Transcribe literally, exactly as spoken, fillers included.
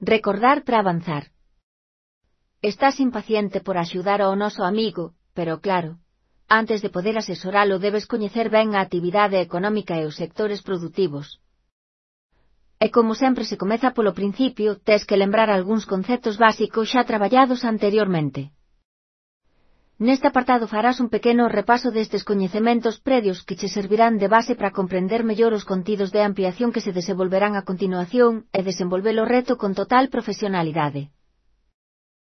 Recordar para avanzar. Estás impaciente por axudar ao noso amigo, pero claro, antes de poder asesoralo debes coñecer ben a actividade económica e os sectores produtivos. E como sempre se comeza polo principio, tes que lembrar algúns conceptos básicos xa traballados anteriormente. Neste apartado farás un pequeno repaso destes coñecementos previos que che servirán de base para comprender mellor os contidos de ampliación que se desenvolverán a continuación e desenvolver o reto con total profesionalidade.